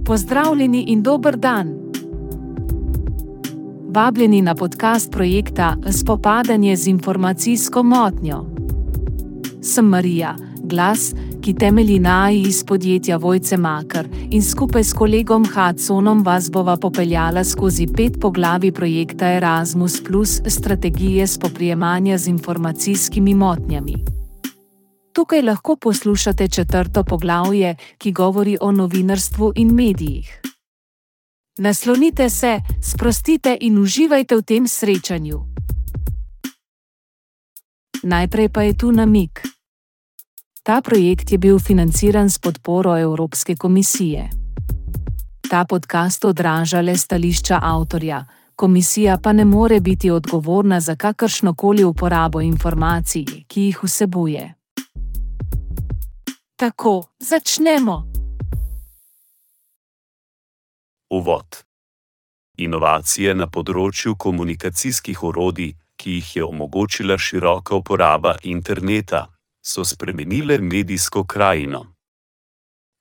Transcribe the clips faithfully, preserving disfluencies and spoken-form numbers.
Pozdravljeni in dober dan! Vabljeni na podcast projekta Spopadanje z informacijsko motnjo. Sem Marija, glas, ki temelji na A I iz podjetja Vojce Makar in skupaj s kolegom Hudsonom vas bova popeljala skozi pet poglavij projekta Erasmus plus strategije spoprijemanja z informacijskimi motnjami. Tukaj lahko poslušate četrto poglavje, ki govori o novinarstvu in medijih. Naslonite se, sprostite in uživajte v tem srečanju. Najprej pa je tu namig. Ta projekt je bil financiran s podporo Evropske komisije. Ta podcast odraža le stališča avtorja, komisija pa ne more biti odgovorna za kakršnokoli uporabo informacij, ki jih vsebuje. Tako, začnemo! Uvod. Inovacije na področju komunikacijskih orodij, ki jih je omogočila široka uporaba interneta, so spremenile medijsko krajino.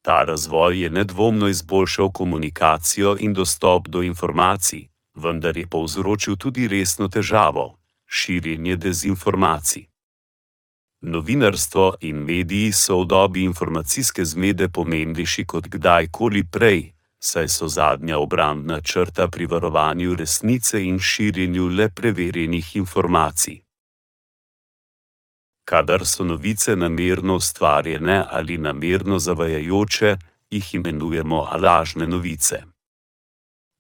Ta razvoj je nedvomno izboljšal komunikacijo in dostop do informacij, vendar je povzročil tudi resno težavo – širjenje dezinformacij. Novinarstvo in mediji so v dobi informacijske zmede pomembnejši kot kdajkoli prej, saj so zadnja obrambna črta pri varovanju resnice in širjenju le preverjenih informacij. Kadar so novice namerno ustvarjene ali namerno zavajajoče, jih imenujemo lažne novice.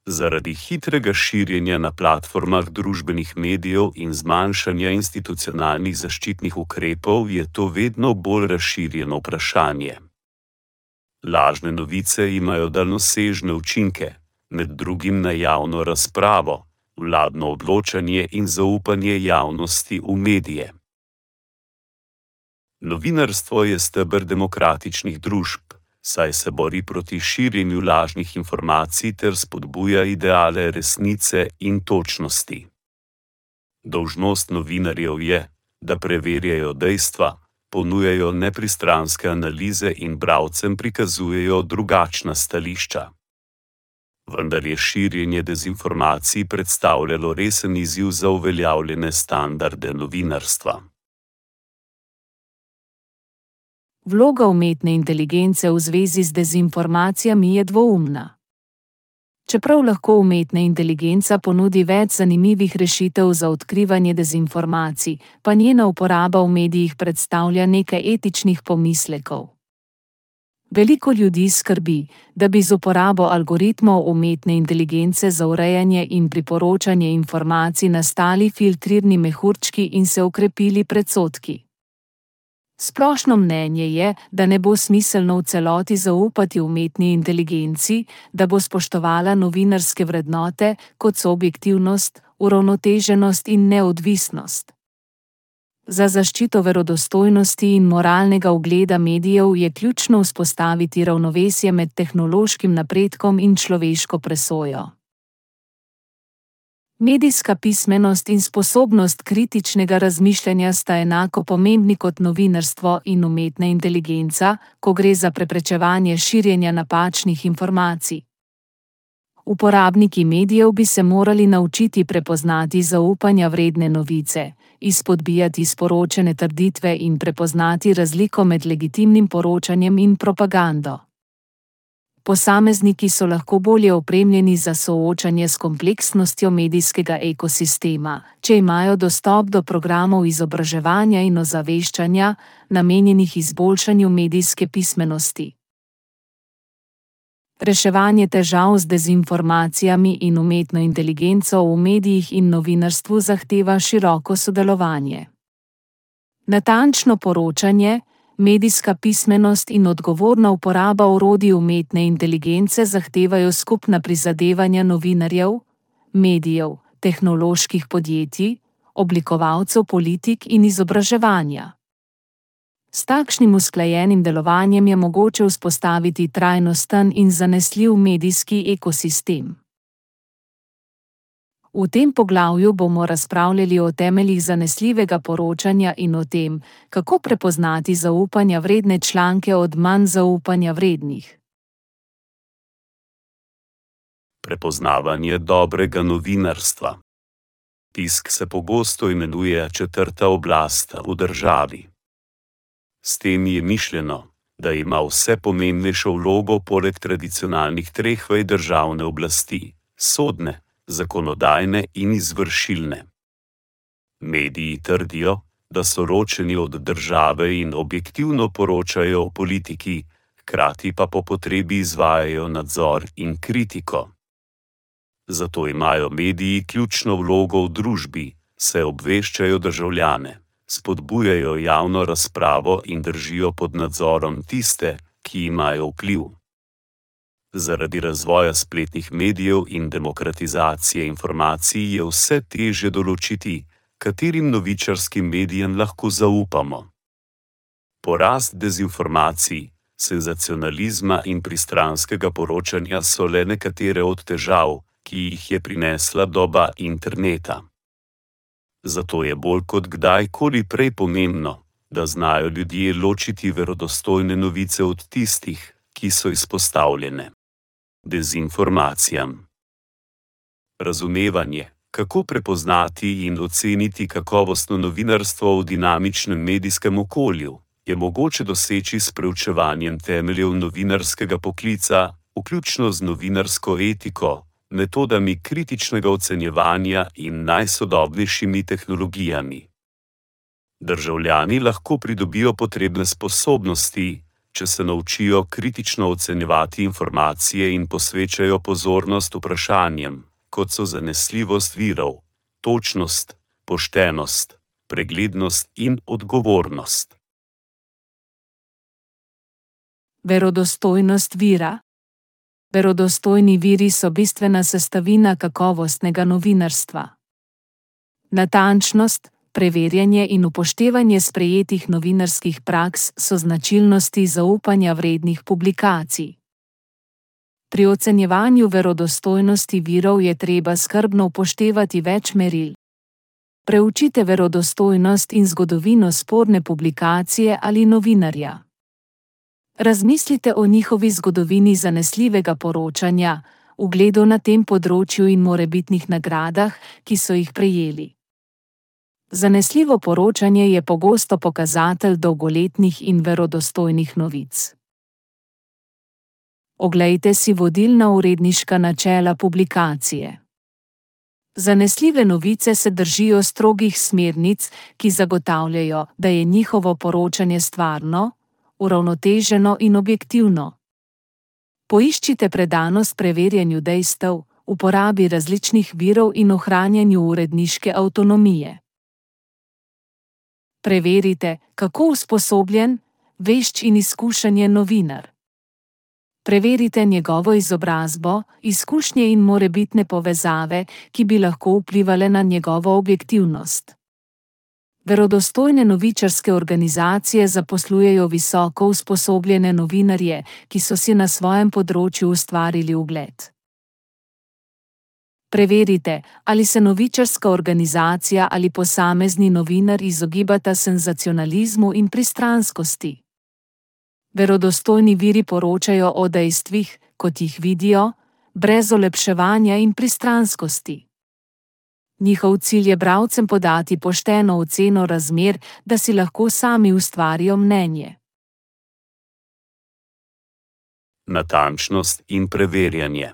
Zaradi hitrega širjenja na platformah družbenih medijev in zmanjšanja institucionalnih zaščitnih ukrepov je to vedno bolj razširjeno vprašanje. Lažne novice imajo daljnosežne učinke, med drugim na javno razpravo, vladno odločanje in zaupanje javnosti v medije. Novinarstvo je steber demokratičnih družb, saj se bori proti širjenju lažnih informacij ter spodbuja ideale resnice in točnosti. Dolžnost novinarjev je, da preverjajo dejstva, ponujajo nepristranske analize in bralcem prikazujejo drugačna stališča. Vendar je širjenje dezinformacij predstavljalo resen izziv za uveljavljene standarde novinarstva. Vloga umetne inteligence v zvezi z dezinformacijami je dvoumna. Čeprav lahko umetna inteligenca ponudi več zanimivih rešitev za odkrivanje dezinformacij, pa njena uporaba v medijih predstavlja nekaj etičnih pomislekov. Veliko ljudi skrbi, da bi z uporabo algoritmov umetne inteligence za urejanje in priporočanje informacij nastali filtrirni mehurčki in se okrepili predsodki. Splošno mnenje je, da ne bo smiselno v celoti zaupati umetni inteligenci, da bo spoštovala novinarske vrednote, kot so objektivnost, uravnoteženost in neodvisnost. Za zaščito verodostojnosti in moralnega ugleda medijev je ključno vzpostaviti ravnovesje med tehnološkim napredkom in človeško presojo. Medijska pismenost in sposobnost kritičnega razmišljanja sta enako pomembni kot novinarstvo in umetna inteligenca, ko gre za preprečevanje širjenja napačnih informacij. Uporabniki medijev bi se morali naučiti prepoznati zaupanja vredne novice, izpodbijati sporočene trditve in prepoznati razliko med legitimnim poročanjem in propagando. Posamezniki so lahko bolje opremljeni za soočanje s kompleksnostjo medijskega ekosistema, če imajo dostop do programov izobraževanja in ozaveščanja, namenjenih izboljšanju medijske pismenosti. Reševanje težav z dezinformacijami in umetno inteligenco v medijih in novinarstvu zahteva široko sodelovanje. Natančno poročanje, medijska pismenost in odgovorna uporaba orodij umetne inteligence zahtevajo skupna prizadevanja novinarjev, medijev, tehnoloških podjetij, oblikovalcev politik in izobraževanja. S takšnim usklajenim delovanjem je mogoče vzpostaviti trajnosten in zanesljiv medijski ekosistem. V tem poglavju bomo razpravljali o temeljih zanesljivega poročanja in o tem, kako prepoznati zaupanja vredne članke od manj zaupanja vrednih. Prepoznavanje dobrega novinarstva. Tisk se pogosto imenuje četrta oblast v državi. S tem je mišljeno, da ima vse pomembnejšo vlogo poleg tradicionalnih treh vej državne oblasti: sodne, zakonodajne in izvršilne. Mediji trdijo, da so ločeni od države in objektivno poročajo o politiki, hkrati pa po potrebi izvajajo nadzor in kritiko. Zato imajo mediji ključno vlogo v družbi, saj obveščajo državljane, spodbujajo javno razpravo in držijo pod nadzorom tiste, ki imajo vpliv. Zaradi razvoja spletnih medijev in demokratizacije informacij je vse težje določiti, katerim novičarskim medijem lahko zaupamo. Porast dezinformacij, senzacionalizma in pristranskega poročanja so le nekatere od težav, ki jih je prinesla doba interneta. Zato je bolj kot kdajkoli prej pomembno, da znajo ljudje ločiti verodostojne novice od tistih, ki so izpostavljene dezinformacijam. Razumevanje, kako prepoznati in oceniti kakovostno novinarstvo v dinamičnem medijskem okolju, je mogoče doseči s preučevanjem temeljev novinarskega poklica, vključno z novinarsko etiko, metodami kritičnega ocenjevanja in najsodobnejšimi tehnologijami. Državljani lahko pridobijo potrebne sposobnosti, če se naučijo kritično ocenjevati informacije in posvečajo pozornost vprašanjem, kot so zanesljivost virov, točnost, poštenost, preglednost in odgovornost. Verodostojnost vira. Verodostojni viri so bistvena sestavina kakovostnega novinarstva. Natančnost, preverjanje in upoštevanje sprejetih novinarskih praks so značilnosti zaupanja vrednih publikacij. Pri ocenjevanju verodostojnosti virov je treba skrbno upoštevati več meril. Preučite verodostojnost in zgodovino sporne publikacije ali novinarja. Razmislite o njihovi zgodovini zanesljivega poročanja, ugledu na tem področju in morebitnih nagradah, ki so jih prejeli. Zanesljivo poročanje je pogosto pokazatelj dolgoletnih in verodostojnih novic. Oglejte si vodilna uredniška načela publikacije. Zanesljive novice se držijo strogih smernic, ki zagotavljajo, da je njihovo poročanje stvarno, uravnoteženo in objektivno. Poiščite predanost preverjanju dejstev, uporabi različnih virov in ohranjanju uredniške avtonomije. Preverite, kako usposobljen, vešč in izkušen je novinar. Preverite njegovo izobrazbo, izkušnje in morebitne povezave, ki bi lahko vplivale na njegovo objektivnost. Verodostojne novičarske organizacije zaposlujejo visoko usposobljene novinarje, ki so si na svojem področju ustvarili ugled. Preverite, ali se novičarska organizacija ali posamezni novinar izogibata senzacionalizmu in pristranskosti. Verodostojni viri poročajo o dejstvih, kot jih vidijo, brez olepševanja in pristranskosti. Njihov cilj je bralcem podati pošteno oceno razmer, da si lahko sami ustvarijo mnenje. Natančnost in preverjanje.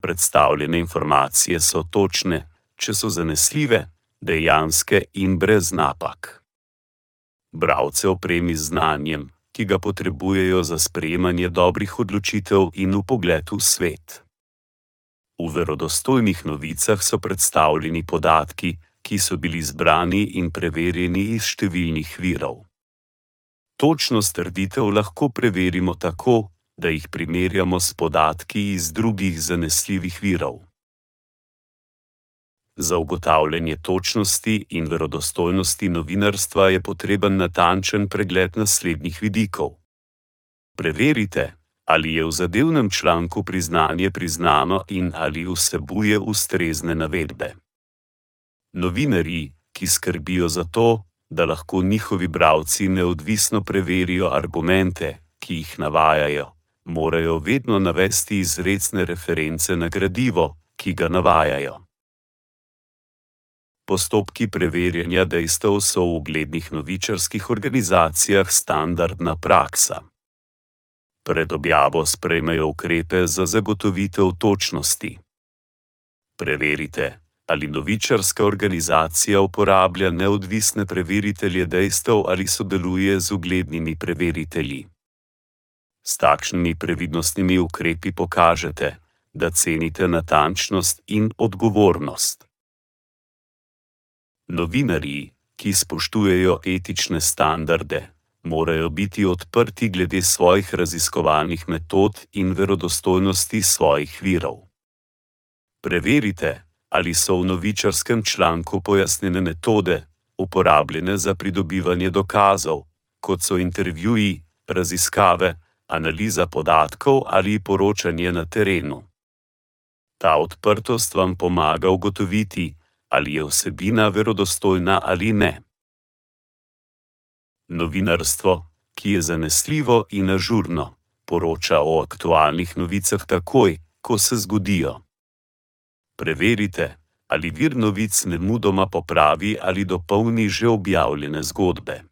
Predstavljene informacije so točne, če so zanesljive, dejanske in brez napak. Bralce opremi z znanjem, ki ga potrebujejo za sprejemanje dobrih odločitev in vpogled v svet. V verodostojnih novicah so predstavljeni podatki, ki so bili zbrani in preverjeni iz številnih virov. Točnost trditev lahko preverimo tako, da jih primerjamo s podatki iz drugih zanesljivih virov. Za ugotavljanje točnosti in verodostojnosti novinarstva je potreben natančen pregled naslednjih vidikov. Preverite, ali je v zadevnem članku priznanje priznano in ali vsebuje ustrezne navedbe. Novinarji, ki skrbijo za to, da lahko njihovi bralci neodvisno preverijo argumente, ki jih navajajo, morajo vedno navesti izrecne reference na gradivo, ki ga navajajo. Postopki preverjanja dejstev so v uglednih novičarskih organizacijah standardna praksa. Pred objavo sprejmejo ukrepe za zagotovitev točnosti. Preverite, ali novičarska organizacija uporablja neodvisne preveritelje dejstev ali sodeluje z uglednimi preveritelji. S takšnimi previdnostnimi ukrepi pokažete, da cenite natančnost in odgovornost. Novinarji, ki spoštujejo etične standarde, morajo biti odprti glede svojih raziskovalnih metod in verodostojnosti svojih virov. Preverite, ali so v novičarskem članku pojasnjene metode, uporabljene za pridobivanje dokazov, kot so intervjuji, raziskave, analiza podatkov ali poročanje na terenu. Ta odprtost vam pomaga ugotoviti, ali je vsebina verodostojna ali ne. Novinarstvo, ki je zanesljivo in ažurno, poroča o aktualnih novicah takoj, ko se zgodijo. Preverite, ali vir novic nemudoma popravi ali dopolni že objavljene zgodbe.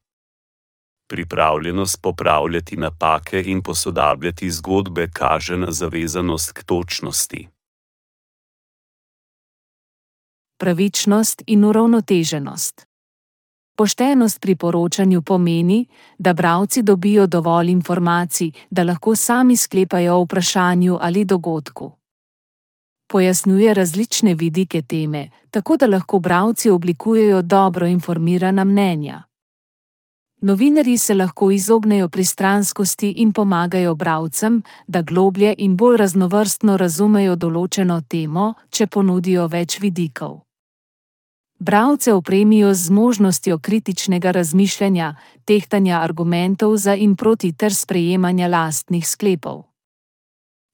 Pripravljenost popravljati napake in posodabljati zgodbe kaže na zavezanost k točnosti. Pravičnost in uravnoteženost. Poštenost pri poročanju pomeni, da bralci dobijo dovolj informacij, da lahko sami sklepajo o vprašanju ali dogodku. Pojasnjuje različne vidike teme, tako da lahko bralci oblikujejo dobro informirana mnenja. Novinarji se lahko izognejo pristranskosti in pomagajo bralcem, da globlje in bolj raznovrstno razumejo določeno temo, če ponudijo več vidikov. Bralce opremijo z zmožnostjo kritičnega razmišljanja, tehtanja argumentov za in proti ter sprejemanja lastnih sklepov.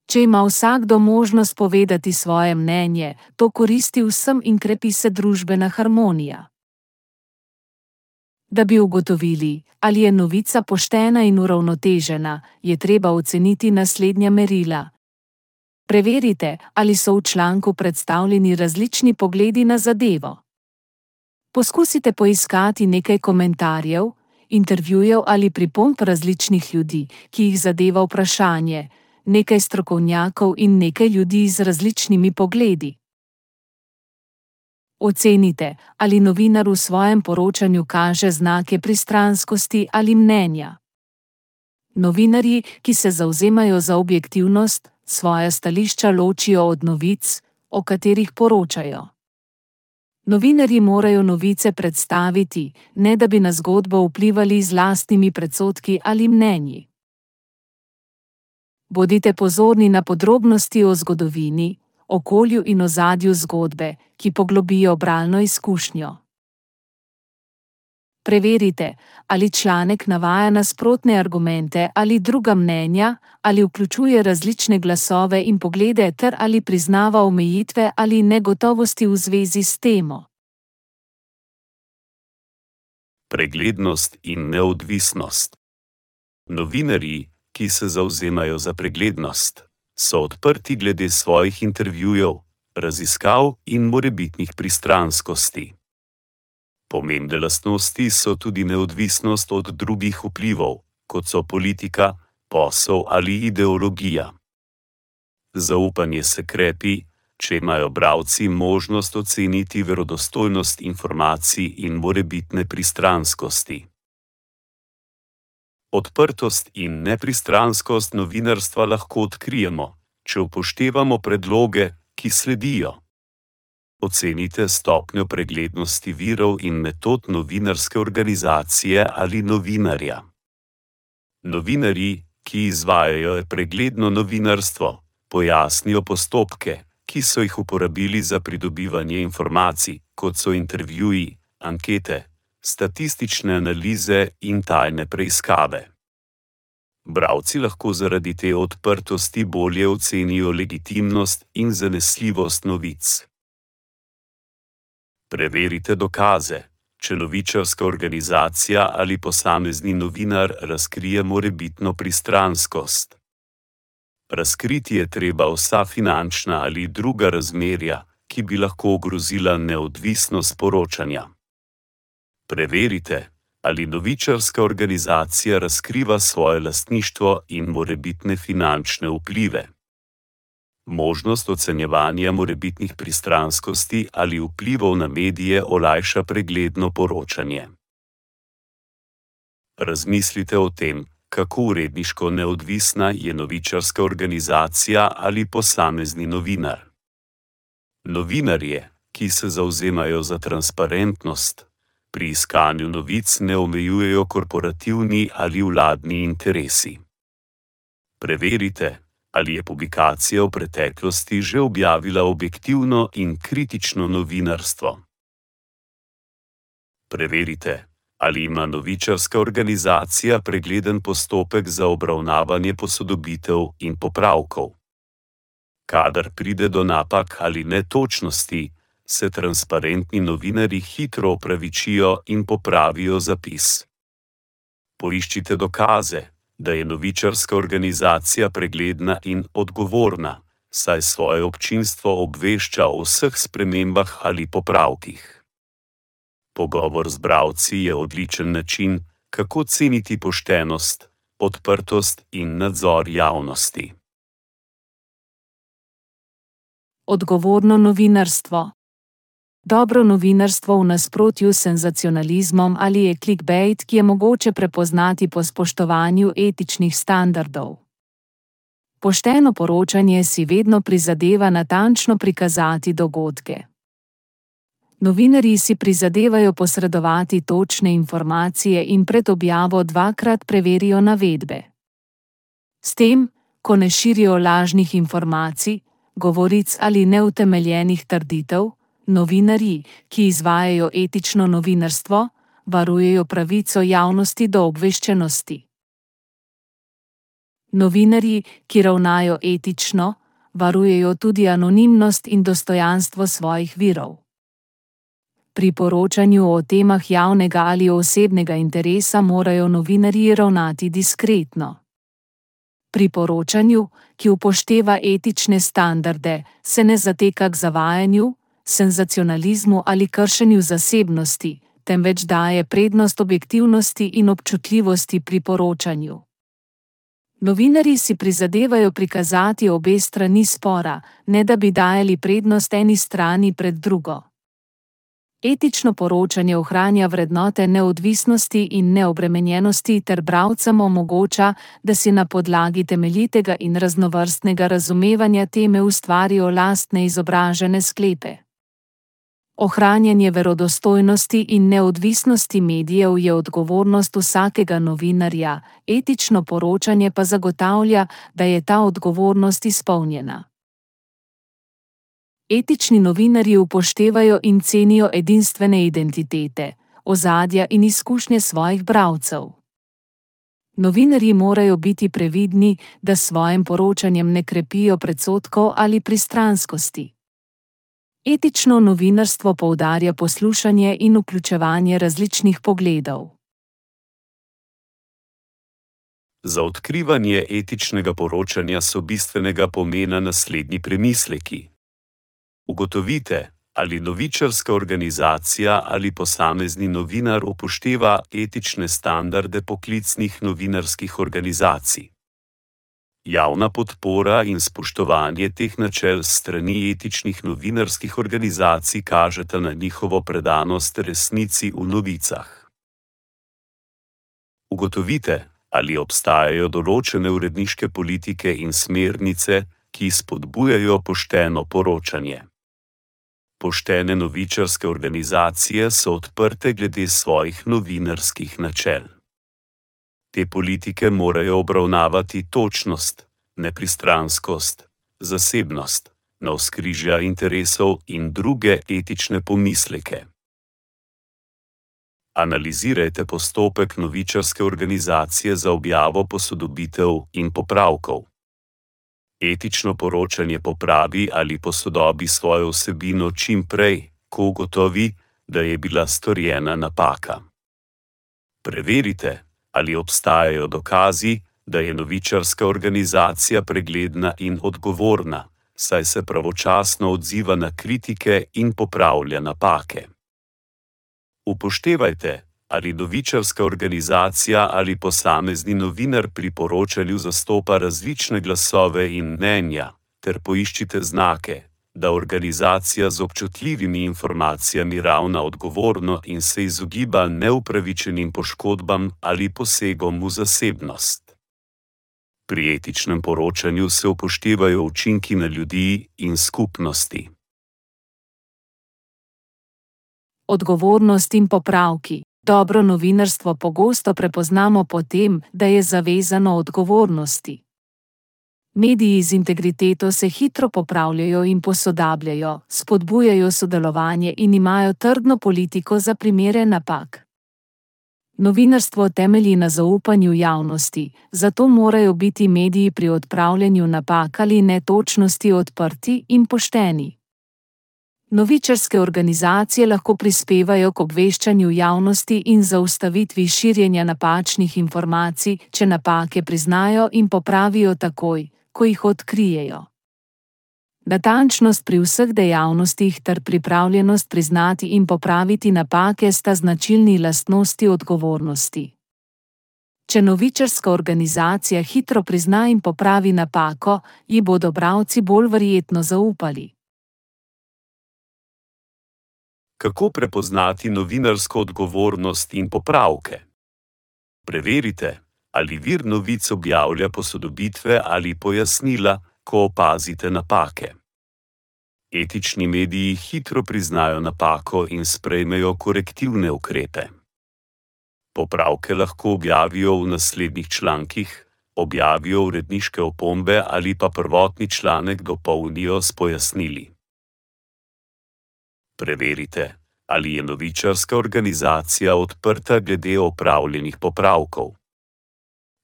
Če ima vsakdo možnost povedati svoje mnenje, to koristi vsem in krepi se družbena harmonija. Da bi ugotovili, ali je novica poštena in uravnotežena, je treba oceniti naslednja merila. Preverite, ali so v članku predstavljeni različni pogledi na zadevo. Poskusite poiskati nekaj komentarjev, intervjujev ali pripomb različnih ljudi, ki jih zadeva vprašanje, nekaj strokovnjakov in nekaj ljudi z različnimi pogledi. Ocenite, ali novinar v svojem poročanju kaže znake pristranskosti ali mnenja. Novinarji, ki se zavzemajo za objektivnost, svoja stališča ločijo od novic, o katerih poročajo. Novinarji morajo novice predstaviti, ne da bi na zgodbo vplivali z lastnimi predsodki ali mnenji. Bodite pozorni na podrobnosti o zgodovini, okolju in ozadju zgodbe, ki poglobijo bralno izkušnjo. Preverite, ali članek navaja nasprotne argumente ali druga mnenja, ali vključuje različne glasove in poglede ter ali priznava omejitve ali negotovosti v zvezi s temo. Preglednost in neodvisnost. Novinarji, ki se zavzemajo za preglednost, so odprti glede svojih intervjujev, raziskav in morebitnih pristranskosti. Pomembne lastnosti so tudi neodvisnost od drugih vplivov, kot so politika, posel ali ideologija. Zaupanje se krepi, če imajo bralci možnost oceniti verodostojnost informacij in morebitne pristranskosti. Odprtost in nepristranskost novinarstva lahko odkrijemo, če upoštevamo predloge, ki sledijo. Ocenite stopnjo preglednosti virov in metod novinarske organizacije ali novinarja. Novinarji, ki izvajajo pregledno novinarstvo, pojasnijo postopke, ki so jih uporabili za pridobivanje informacij, kot so intervjuji, ankete, statistične analize in tajne preiskave. Bralci lahko zaradi te odprtosti bolje ocenijo legitimnost in zanesljivost novic. Preverite dokaze, če novičarska organizacija ali posamezni novinar razkrije morebitno pristranskost. Razkriti je treba vsa finančna ali druga razmerja, ki bi lahko ogrozila neodvisnost poročanja. Preverite, ali novičarska organizacija razkriva svoje lastništvo in morebitne finančne vplive. Možnost ocenjevanja morebitnih pristranskosti ali vplivov na medije olajša pregledno poročanje. Razmislite o tem, kako uredniško neodvisna je novičarska organizacija ali posamezni novinar. Novinarje, ki se zavzemajo za transparentnost, pri iskanju novic ne omejujejo korporativni ali vladni interesi. Preverite, ali je publikacija v preteklosti že objavila objektivno in kritično novinarstvo. Preverite, ali ima novičarska organizacija pregleden postopek za obravnavanje posodobitev in popravkov. Kadar pride do napak ali netočnosti, se transparentni novinarji hitro opravičijo in popravijo zapis. Poiščite dokaze, da je novičarska organizacija pregledna in odgovorna, saj svoje občinstvo obvešča o vseh spremembah ali popravkih. Pogovor z bralci je odličen način, kako ceniti poštenost, odprtost in nadzor javnosti. Odgovorno novinarstvo. Dobro novinarstvo v nasprotju s senzacionalizmom ali je clickbait, ki je mogoče prepoznati po spoštovanju etičnih standardov. Pošteno poročanje si vedno prizadeva natančno prikazati dogodke. Novinarji si prizadevajo posredovati točne informacije in pred objavo dvakrat preverijo navedbe. S tem, ko ne širijo lažnih informacij, govoric ali neutemeljenih trditev, novinarji, ki izvajajo etično novinarstvo, varujejo pravico javnosti do obveščenosti. Novinarji, ki ravnajo etično, varujejo tudi anonimnost in dostojanstvo svojih virov. Pri poročanju o temah javnega ali osebnega interesa morajo novinarji ravnati diskretno. Pri poročanju, ki upošteva etične standarde, se ne zateka k zavajanju, senzacionalizmu ali kršenju zasebnosti, temveč daje prednost objektivnosti in občutljivosti pri poročanju. Novinarji si prizadevajo prikazati obe strani spora, ne da bi dajali prednost eni strani pred drugo. Etično poročanje ohranja vrednote neodvisnosti in neobremenjenosti ter bralcem omogoča, da si na podlagi temeljitega in raznovrstnega razumevanja teme ustvarijo lastne izobražene sklepe. Ohranjanje verodostojnosti in neodvisnosti medijev je odgovornost vsakega novinarja, etično poročanje pa zagotavlja, da je ta odgovornost izpolnjena. Etični novinarji upoštevajo in cenijo edinstvene identitete, ozadja in izkušnje svojih bralcev. Novinarji morajo biti previdni, da s svojim poročanjem ne krepijo predsodkov ali pristranskosti. Etično novinarstvo poudarja poslušanje in vključevanje različnih pogledov. Za odkrivanje etičnega poročanja so bistvenega pomena naslednji premisleki. Ugotovite, ali novičarska organizacija ali posamezni novinar upošteva etične standarde poklicnih novinarskih organizacij. Javna podpora in spoštovanje teh načel s strani etičnih novinarskih organizacij kažeta na njihovo predanost resnici v novicah. Ugotovite, ali obstajajo določene uredniške politike in smernice, ki spodbujajo pošteno poročanje. Poštene novičarske organizacije so odprte glede svojih novinarskih načel. Te politike morajo obravnavati točnost, nepristranskost, zasebnost, navzkrižja interesov in druge etične pomisleke. Analizirajte postopek novičarske organizacije za objavo posodobitev in popravkov. Etično poročanje popravi ali posodobi svojo vsebino čim prej, ko ugotovi, da je bila storjena napaka. Preverite, ali obstajajo dokazi, da je novičarska organizacija pregledna in odgovorna, saj se pravočasno odziva na kritike in popravlja napake. Upoštevajte, ali novičarska organizacija ali posamezni novinar pri poročanju zastopa različne glasove in mnenja, ter poiščite znake, da organizacija z občutljivimi informacijami ravna odgovorno in se izogiba neupravičenim poškodbam ali posegom v zasebnost. Pri etičnem poročanju se upoštevajo učinki na ljudi in skupnosti. Odgovornost in popravki. Dobro novinarstvo pogosto prepoznamo po tem, da je zavezano odgovornosti. Mediji z integriteto se hitro popravljajo in posodabljajo, spodbujajo sodelovanje in imajo trdno politiko za primere napak. Novinarstvo temelji na zaupanju javnosti, zato morajo biti mediji pri odpravljanju napak ali netočnosti odprti in pošteni. Novičarske organizacije lahko prispevajo k obveščanju javnosti in zaustavitvi širjenja napačnih informacij, če napake priznajo in popravijo takoj, ko jih odkrijejo. Natančnost pri vseh dejavnostih ter pripravljenost priznati in popraviti napake sta značilni lastnosti odgovornosti. Če novičarska organizacija hitro prizna in popravi napako, ji bodo bralci bolj verjetno zaupali. Kako prepoznati novinarsko odgovornost in popravke? Preverite, ali vir novic objavlja posodobitve ali pojasnila, ko opazite napake. Etični mediji hitro priznajo napako in sprejmejo korektivne ukrepe. Popravke lahko objavijo v naslednjih člankih, objavijo uredniške opombe ali pa prvotni članek dopolnijo s pojasnili. Preverite, ali je novičarska organizacija odprta glede opravljenih popravkov.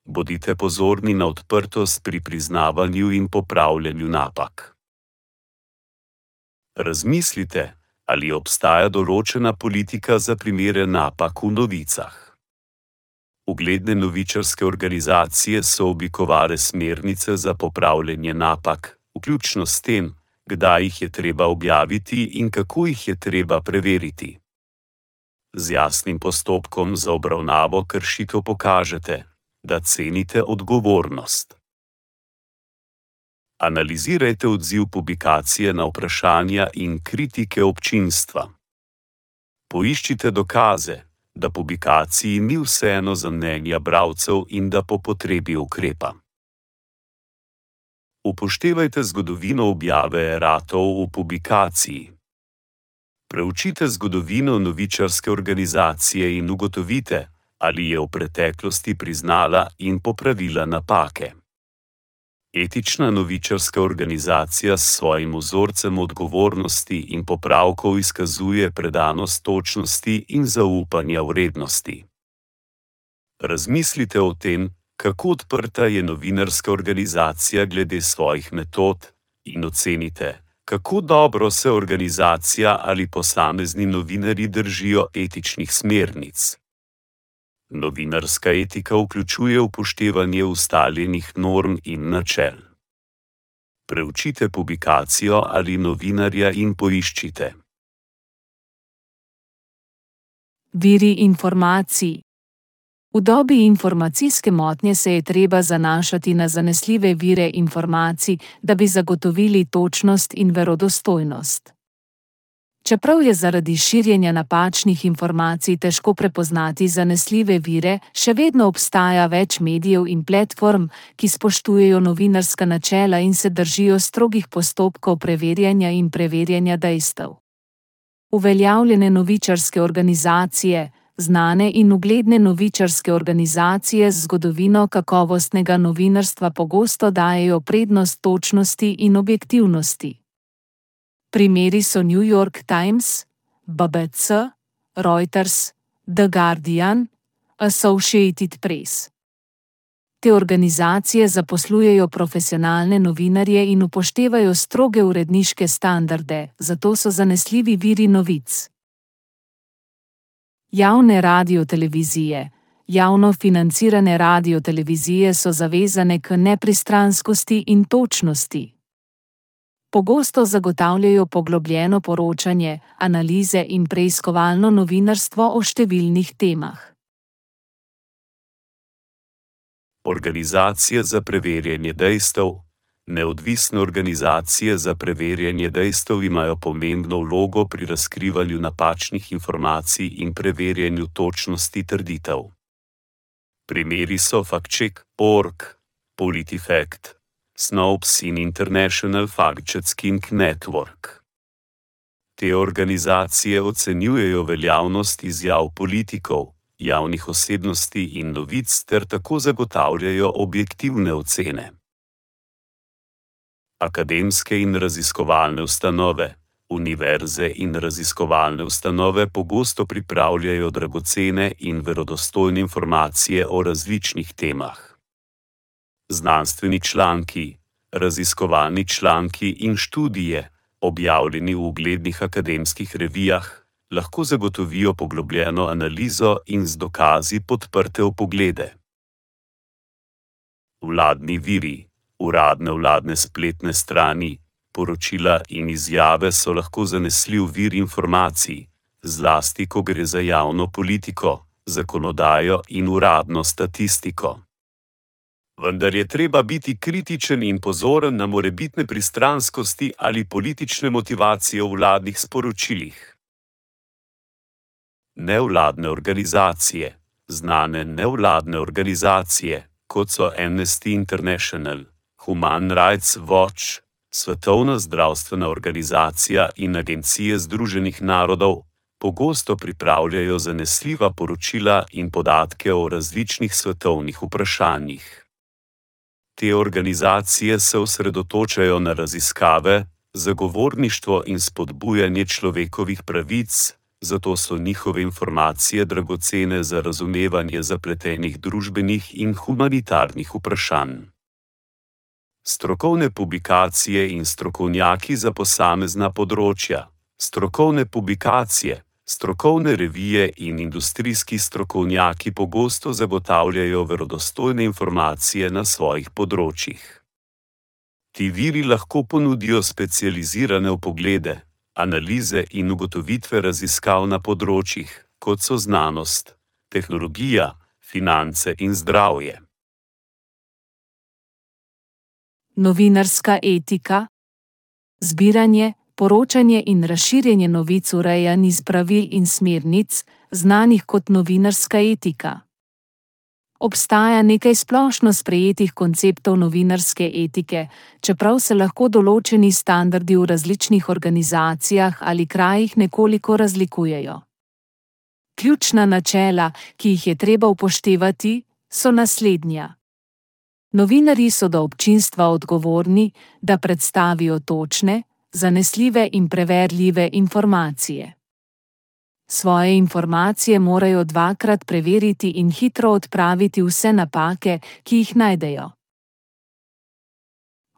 Bodite pozorni na odprtost pri priznavanju in popravljanju napak. Razmislite, ali obstaja določena politika za primere napak v novicah. Ugledne novičarske organizacije so oblikovale smernice za popravljanje napak, vključno s tem, kdaj jih je treba objaviti in kako jih je treba preveriti. Z jasnim postopkom za obravnavo kršitev pokažete, da cenite odgovornost. Analizirajte odziv publikacije na vprašanja in kritike občinstva. Poiščite dokaze, da publikaciji ni vseeno za mnenja bralcev in da po potrebi ukrepa. Upoštevajte zgodovino objave eratov v publikaciji. Preučite zgodovino novičarske organizacije in ugotovite, ali je v preteklosti priznala in popravila napake. Etična novičarska organizacija s svojim vzorcem odgovornosti in popravkov izkazuje predanost točnosti in zaupanja vrednosti. Razmislite o tem, kako odprta je novinarska organizacija glede svojih metod, in ocenite, kako dobro se organizacija ali posamezni novinarji držijo etičnih smernic. Novinarska etika vključuje upoštevanje ustaljenih norm in načel. Preučite publikacijo ali novinarja in poiščite. Viri informacij. V dobi informacijske motnje se je treba zanašati na zanesljive vire informacij, da bi zagotovili točnost in verodostojnost. Čeprav je zaradi širjenja napačnih informacij težko prepoznati zanesljive vire, še vedno obstaja več medijev in platform, ki spoštujejo novinarska načela in se držijo strogih postopkov preverjanja in preverjanja dejstev. Uveljavljene novičarske organizacije, znane in ugledne novičarske organizacije z zgodovino kakovostnega novinarstva pogosto dajejo prednost točnosti in objektivnosti. Primeri so New York Times, B B C, Reuters, The Guardian, Associated Press. Te organizacije zaposlujejo profesionalne novinarje in upoštevajo stroge uredniške standarde, zato so zanesljivi viri novic. Javne radiotelevizije. Javno financirane radiotelevizije so zavezane k nepristranskosti in točnosti. Pogosto zagotavljajo poglobljeno poročanje, analize in preiskovalno novinarstvo o številnih temah. Organizacije za preverjanje dejstev. Neodvisne organizacije za preverjanje dejstev imajo pomembno vlogo pri razkrivanju napačnih informacij in preverjanju točnosti trditev. Primeri so FactCheck pika org, PolitiFact, Snopes in International Fact-Checking Network. Te organizacije ocenjujejo veljavnost izjav politikov, javnih osebnosti in novic ter tako zagotavljajo objektivne ocene. Akademske in raziskovalne ustanove. Univerze in raziskovalne ustanove pogosto pripravljajo dragocene in verodostojne informacije o različnih temah. Znanstveni članki, raziskovalni članki in študije, objavljeni v uglednih akademskih revijah, lahko zagotovijo poglobljeno analizo in z dokazi podprte vpoglede. Vladni viri. Uradne vladne spletne strani, poročila in izjave so lahko zanesljiv vir informacij, zlasti ko gre za javno politiko, zakonodajo in uradno statistiko. Vendar je treba biti kritičen in pozoren na morebitne pristranskosti ali politične motivacije v vladnih sporočilih. Nevladne organizacije. Znane nevladne organizacije, kot so Amnesty International, Human Rights Watch, Svetovna zdravstvena organizacija in Agencije Združenih narodov, pogosto pripravljajo zanesljiva poročila in podatke o različnih svetovnih vprašanjih. Te organizacije se osredotočajo na raziskave, zagovorništvo in spodbujanje človekovih pravic, zato so njihove informacije dragocene za razumevanje zapletenih družbenih in humanitarnih vprašanj. Strokovne publikacije in strokovnjaki za posamezna področja. Strokovne publikacije, strokovne revije in industrijski strokovnjaki pogosto zagotavljajo verodostojne informacije na svojih področjih. Ti viri lahko ponudijo specializirane vpoglede, analize in ugotovitve raziskav na področjih, kot so znanost, tehnologija, finance in zdravje. Novinarska etika. Zbiranje, poročanje in razširjanje novic urejan iz pravil in smernic, znanih kot novinarska etika. Obstaja nekaj splošno sprejetih konceptov novinarske etike, čeprav se lahko določeni standardi v različnih organizacijah ali krajih nekoliko razlikujejo. Ključna načela, ki jih je treba upoštevati, so naslednja. Novinarji so do občinstva odgovorni, da predstavijo točne, zanesljive in preverljive informacije. Svoje informacije morajo dvakrat preveriti in hitro odpraviti vse napake, ki jih najdejo.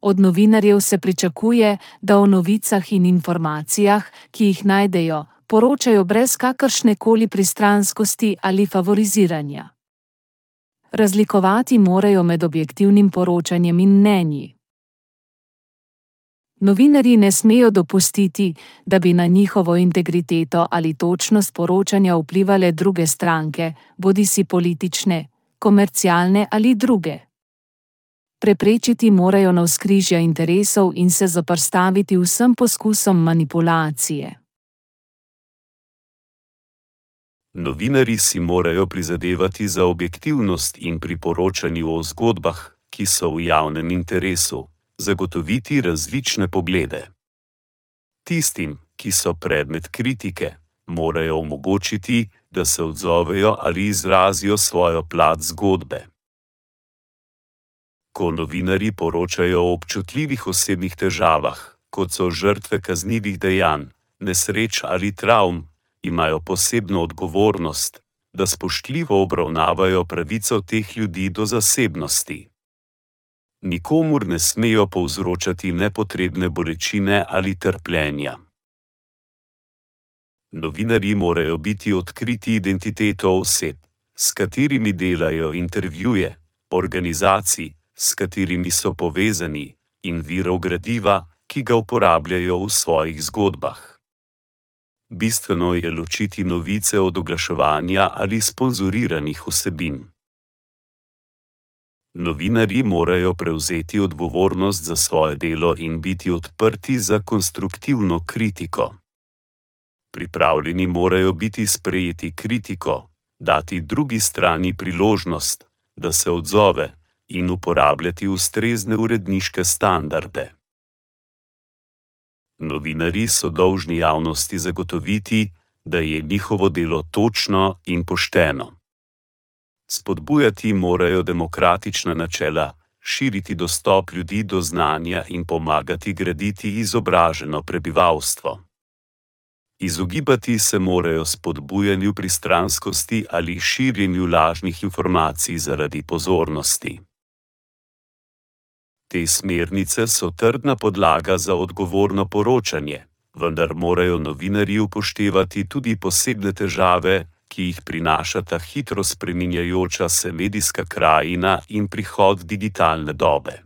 Od novinarjev se pričakuje, da o novicah in informacijah, ki jih najdejo, poročajo brez kakršnekoli pristranskosti ali favoriziranja. Razlikovati morajo med objektivnim poročanjem in mnenji. Novinarji ne smejo dopustiti, da bi na njihovo integriteto ali točnost poročanja vplivale druge stranke, bodisi politične, komercialne ali druge. Preprečiti morajo navzkrižja interesov in se zoperstaviti vsem poskusom manipulacije. Novinarji si morajo prizadevati za objektivnost in pri poročanju o zgodbah, ki so v javnem interesu, zagotoviti različne poglede. Tistim, ki so predmet kritike, morajo omogočiti, da se odzovejo ali izrazijo svojo plat zgodbe. Ko novinarji poročajo o občutljivih osebnih težavah, kot so žrtve kaznivih dejanj, nesreč ali travm, imajo posebno odgovornost, da spoštljivo obravnavajo pravico teh ljudi do zasebnosti. Nikomur ne smejo povzročati nepotrebne bolečine ali trpljenja. Novinarji morajo biti odkriti identiteto oseb, s katerimi delajo intervjuje, organizacij, s katerimi so povezani, in virov gradiva, ki ga uporabljajo v svojih zgodbah. Bistveno je ločiti novice od oglaševanja ali sponzoriranih vsebin. Novinarji morajo prevzeti odgovornost za svoje delo in biti odprti za konstruktivno kritiko. Pripravljeni morajo biti sprejeti kritiko, dati drugi strani priložnost, da se odzove, in uporabljati ustrezne uredniške standarde. Novinarji so dolžni javnosti zagotoviti, da je njihovo delo točno in pošteno. Spodbujati morajo demokratična načela, širiti dostop ljudi do znanja in pomagati graditi izobraženo prebivalstvo. Izogibati se morajo spodbujanju pristranskosti ali širjenju lažnih informacij zaradi pozornosti. Te smernice so trdna podlaga za odgovorno poročanje, vendar morajo novinarji upoštevati tudi posebne težave, ki jih prinašata hitro spreminjajoča se medijska krajina in prihod digitalne dobe.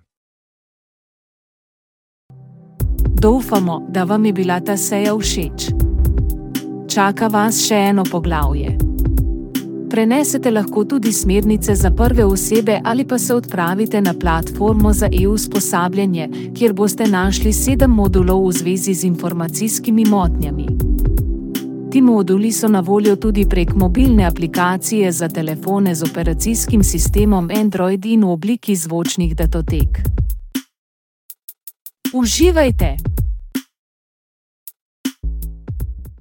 Upamo, da vam je bila ta seja všeč. Čaka vas še eno poglavje. Prenesete lahko tudi smernice za prve osebe ali pa se odpravite na platformo za e-usposabljanje, kjer boste našli sedem modulov v zvezi z informacijskimi motnjami. Ti moduli so na voljo tudi prek mobilne aplikacije za telefone z operacijskim sistemom Android in v obliki zvočnih datotek. Uživajte!